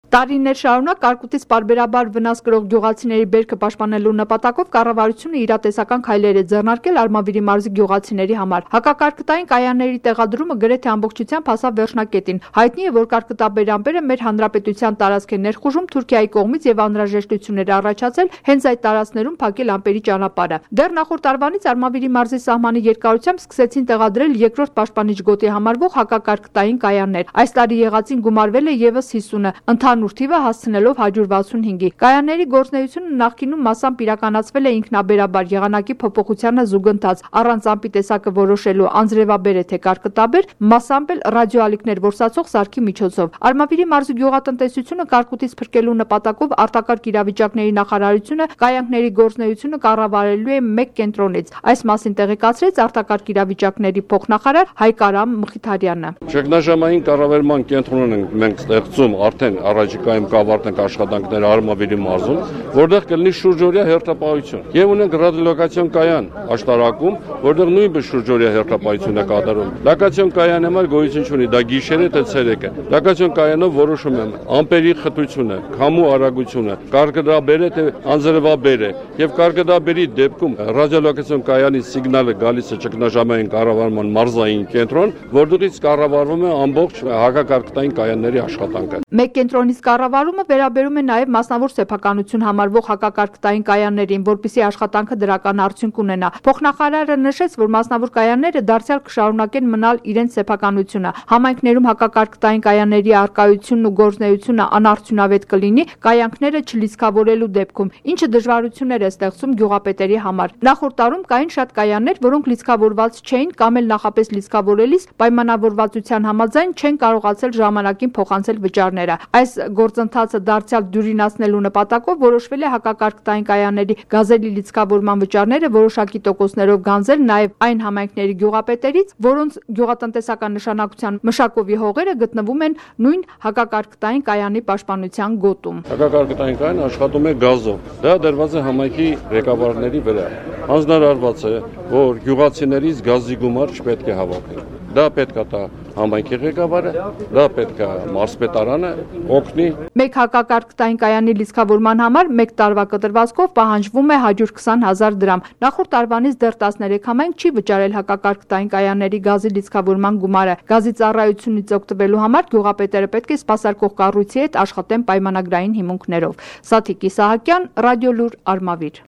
Տարիներ շարունակ կարկուտից պարբերաբար վնաս կրող գյուղացիների բերքը պաշտպանելու նպատակով կառավարությունը իրատեսական քայլեր է ձեռնարկել Արմավիրի մարզի գյուղացիների համար։ Հակակարկտային կայանների տեղադրումը գրեթե ամբողջությամբ հասավ վերջնակետին։ Հայտնի է, որ կարկտաբերամբերը մեր հանրապետության տարածք է ներխուժում Թուրքիայի կողմից եւ անհրաժեշտություններ առաջացել հենց այդ տարածքներում փակել ամպերի ճանապարհը։ Դեռ նախորդ տարվանից Արմավիրի մարզի սահմանի երկարությամբ սկսեցին տեղադրել երկրորդ պաշտպանիչ գոտի համարվող հակակարկտային կայաններ։ Այս տարի եղածին գումարվել է եւս 50-ը, ընդհանուր թիվը հասցնելով 165-ի։ Կայանների գործունեությունը նախկինում մասամբ իրականացվել է ինքնաբերաբար եղանակի փոփոխությանը զուգընթաց, առանց ամպի տեսակը որոշելու անձրևաբեր է թե կարկտաբեր, մասամբ էլ ռադիոալիքներ որսացող սարքի միջոցով։ Արմավիրի մարզի գյուղատնտեսությունը կարկուտից փրկելու նպատակով արտակարգ իրավիճակների նախարարությունը կայանքների գործունեությունը կառավարելու է մեկ կենտրոնից։ Այս մասին տեղեկացրեց արտակարգ իրավիճակների փոխնախարար Հայկարամ Մխիթարյանը։ Ճգնաժամային կառավարման կենտրոն ենք մենք ստեղծում արդեն առաջիկայում կավարտենք աշխատանքները Արմավիրի մարզում, որտեղ կլինի շուրջօրյա հերթապահություն։ Եվ ունենք ռադիոլոկացիոն կայան աշտարակում, որտեղ նույնպես շուրջօրյա հերթապահություն է կատարում։ Լոկացիոն կայանը համար գոյություն չունի, դա գիշեր է թե ցերեկ է։ Լոկացիոն կայանով որոշում եմ ամպերի խտությունը, քամու արագությունը, կարկտաբեր է թե անձրևաբեր է։ Եվ կարկտաբերի դեպքում ռադիոլոկացիոն կայանի սիգնալը գալիս է ճգնաժամային կառավարման մարզային կենտրոն, որտեղից կառավարվում է ամբողջ հակակարկտային կայանների աշխատանքը։ Մեկ կենտրոնից կառավարումը վերաբերում է նաև մասնավոր սեփականություն համարվող հակակարկտային կայաններին, որպեսզի աշխատանքը դրական արդյունք ունենա։ Փոխնախարարը նշեց, որ մասնավոր կայանները դարձյալ կշարունակեն մնալ իրենց սեփականությունը։ Համայնքներում հակակարկտային կայանների առկայությունն ու գործունեությունը անարդյունավետ կլինի կայանքները չլիցքավորելու դեպքում, ինչը դժվարություններ է ստեղծում գյուղապետերի համար։ Նախորդ տարում կային շատ կայաններ, որոնք լիցքավորված չէին կամ էլ նախապես լիցքավորելիս պայմանավորվածության համաձայն չեն կարողացել ժամանակին փոխանցել վճարները։ Այս գործընթացը դարձյալ դյուրինացնելու նպատակով որոշվել է հակակարկտային կայանների գազելի լիցքավորման վճարները որոշակի տոկոսներով գանձել նաև այն համայնքների գյուղապետերից, որոնց գյուղատնտեսական նշանակության մշակովի հողերը գտնվում են նույն հակակարկտային կայանի պաշտպանության գոտում։ Հակակարկտային կայան աշխատում է գազով։ Դա դրված է համայնքի ղեկավարների վրա։ Հանձնարարված է, որ գյուղացիներից գազի գումար չպետք է հավաքել։ Դա պետք է տա համայնքի ղեկավարը, դա պետք է մարզպետարանը օգնի։ Մեկ հակակարկտային կայանի լիցքավորման համար մեկ տարվա կտրվածքով պահանջվում է 120,000 դրամ։ Նախորդ տարվանից դեռ 13 համայնք չի վճարել հակակարկտային կայանների գազի լիցքավորման գումարը։ Գազի ծառայությունից օգտվելու համար գյուղապետերը պետք է սպասարկող կառույցի հետ աշխատեն պայմանագրային հիմունքներով։ Սաթիկ Իսահակյան, Ռադիոլուր, Արմավիր։